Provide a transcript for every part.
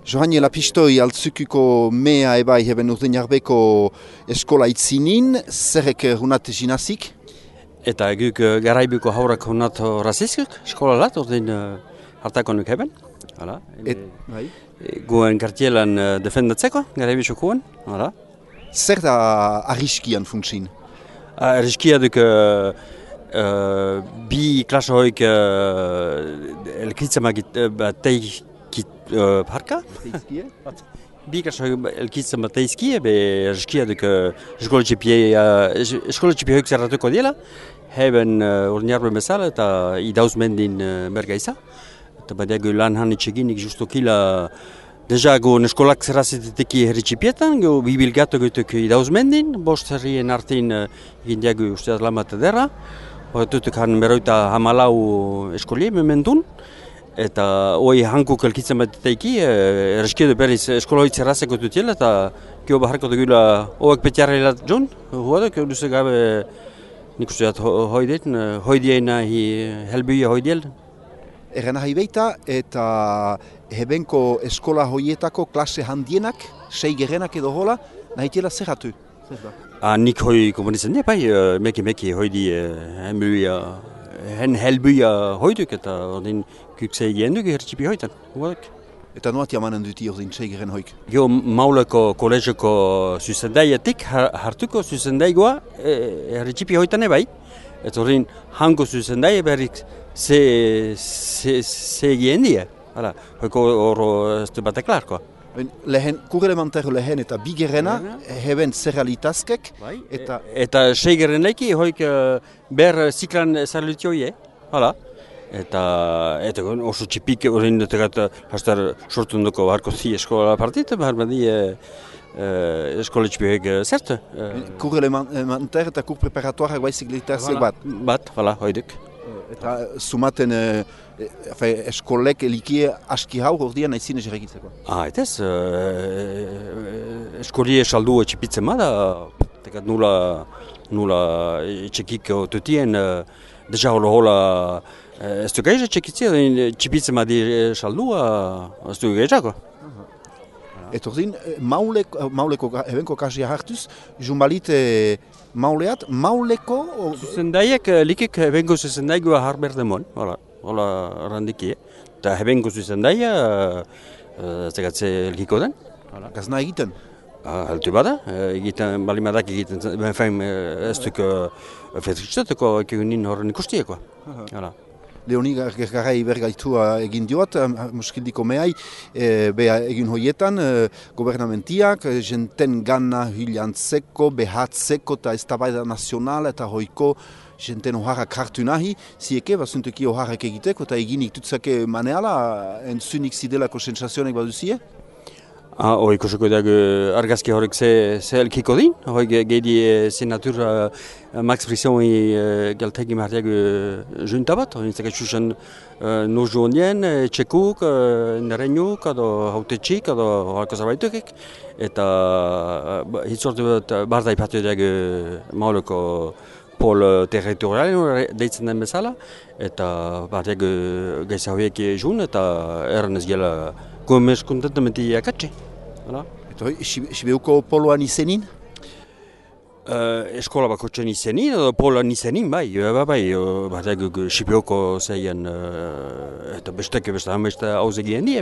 Johanniela pistoi altzukuko mea ebai heben urden jarbeko eskola itzinin, zerrek hunat jinazik? Eta guk garaibuko haurak hunat rasizkuk, eskola lat, urden hartakonuk heben. Hala. Guen kartielan defendatzeko, garaibitxokoen. Hala. Zer da arriskian funtsin? Arriskia duk bi klasa hoik elkitzamak parka? Bi klasa hoik elkitzamak teizkie, be arriskia duk eskoletxipi hoik zerratuko diela. Heben urden jarben bezala eta idauz mendin bergaiza. Eta badiago lan hanitxeginik justokila deja go eskolak zerrazetiteki herritxipietan, go bibilgato goituk idauz mendin, bost herrien artin egin diago usteaz lamat edera. Horretutuk han beroita hamalau eskolie memendun. Eta hoi hankuk elkitzen bat teiki, erreskiedu berriz eskola hoi zerrazeko dutiela, eta kio baharko dugula hoak petiarrela joan, huadok, duzek gabe nik usteat hoidien nahi helbuia hoidiel. Erren nahi beita eta hebenko eskola hoietako klase handienak, 6 gerenak edo hola, nahi tiela zerratu? Nik hoi komunitzen dira, bai, meki hoidi helbuia hoiduk eta ordin kuksei genduk hertxipi hoitan. Eta nuatia manen duti ordin 6 geren hoik? Jo mauleko kolegioko zuzendaiatik hartuko zuzendaigoa hertxipi hoitan ebai. Eta ordin hango zuzendaia berrik ze gendia. Hala, hoiko horro ez du batek larkoa. Kurelementarro lehen eta bigerena, heben zerrealitazkek. Eta 6 gerenaiki hoik ber ziklan zerrealitioie. Hala. Eta oso txipik horrein dutegat hastar sortun duko harko zi eskola partit, behar badi eskola txipiek zert. Kurelementar eta kur preparatuarak baizik literatziek bat? Bat, hala, hoiduk. Eta sumaten eskolek elikie aski hau gordian naizien egitzeko? Etez, eskolie saldu txipitzen bada, tekat nula txekik tutien, deja hola ez du gaiza txekitzia, txipitzen badi saldua, ez du gaizako. Eta ordin, mauleko ebenko kasia hartuz, jumbalit mauleat, mauleko... Zuzendaiek, likik ebenko zuzendaigoa harberdemon, hola randikie. Eta ebenko zuzendaia, zegatze elkiko den. Gazna egiten? Altu bada, egiten, balimadak egiten, ez duk fetritzateko egunin horren ikustieko. Leoni Gergarai bergaitua egin dioat, muskildiko mehai, beha egin hoietan, gobernamentiak, jenten gana hilantzeko, behatzeko eta eztabaida nazional eta hoiko jenten oharrak hartu nahi, zieke, basuntuki oharrak egiteko eta eginik tutzake maneala, entzunik zidelako sensazionek baduzie? Hoi ikusiko dago argazki horrek ze elkiko din, hoi gehi senatura Max Brissoni galtegi martiago junta bat, hoi zaka txusen nozuonien, txekuk, nerenuk, edo hautetxik, edo halko zabaitukik, eta hitzortu bat barda ipatu dago mauleko pol territorialen deitzen den bezala, eta martiago gaisa hoiek jun, eta erren ez gela gomez kontentamenti akatxe. Eta hoi, Sibeuko poloan izenin? Eskola bakotxen izenin, edo poloan izenin, bai. Sibeuko zeien, eta beste hauz egien die,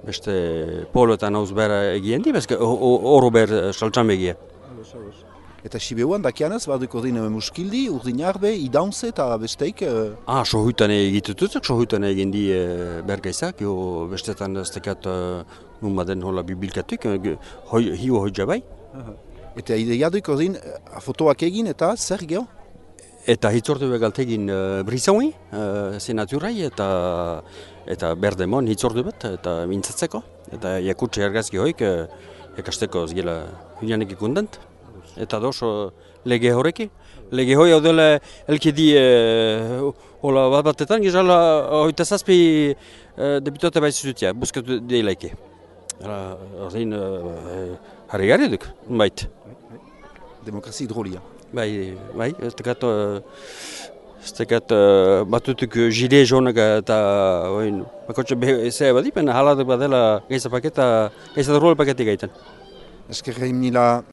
beste poloetan hauz bera egien die, beste oro ber saltxam egia. Eta Sibeuan dakianaz, baduko ordin muskildi, urdin jarbe, idaunze eta besteik? Sohutan egitututzak, sohutan egin di bergaizak, bestetan ez tekat nun baden hola bibilkatuk, hiu hoi jabai. Eta ideia duik ordin fotoak egin eta zer geho? Eta hitzortu begaltegin Brissoni, senaturai, eta berdemon hitzortu bat, eta mintzatzeko. Eta jakutxe argazki hoik, ekasteko zgela hilanek ikundant. Eta doso lege horreki. Lege hoi hau dela elkedi hola batetan, gizala hoita zazpi deputate baizutia, buskatu deilaike. Ordin harri gari duk, bait. Demokrazi hidrolia. Bai, ez tekat Ez tekat batutuk jire jonak eta bakotxe zea badipen, haladak badela gaiza paketa, gaiza ruol paketik gaiten. Eskerrein mila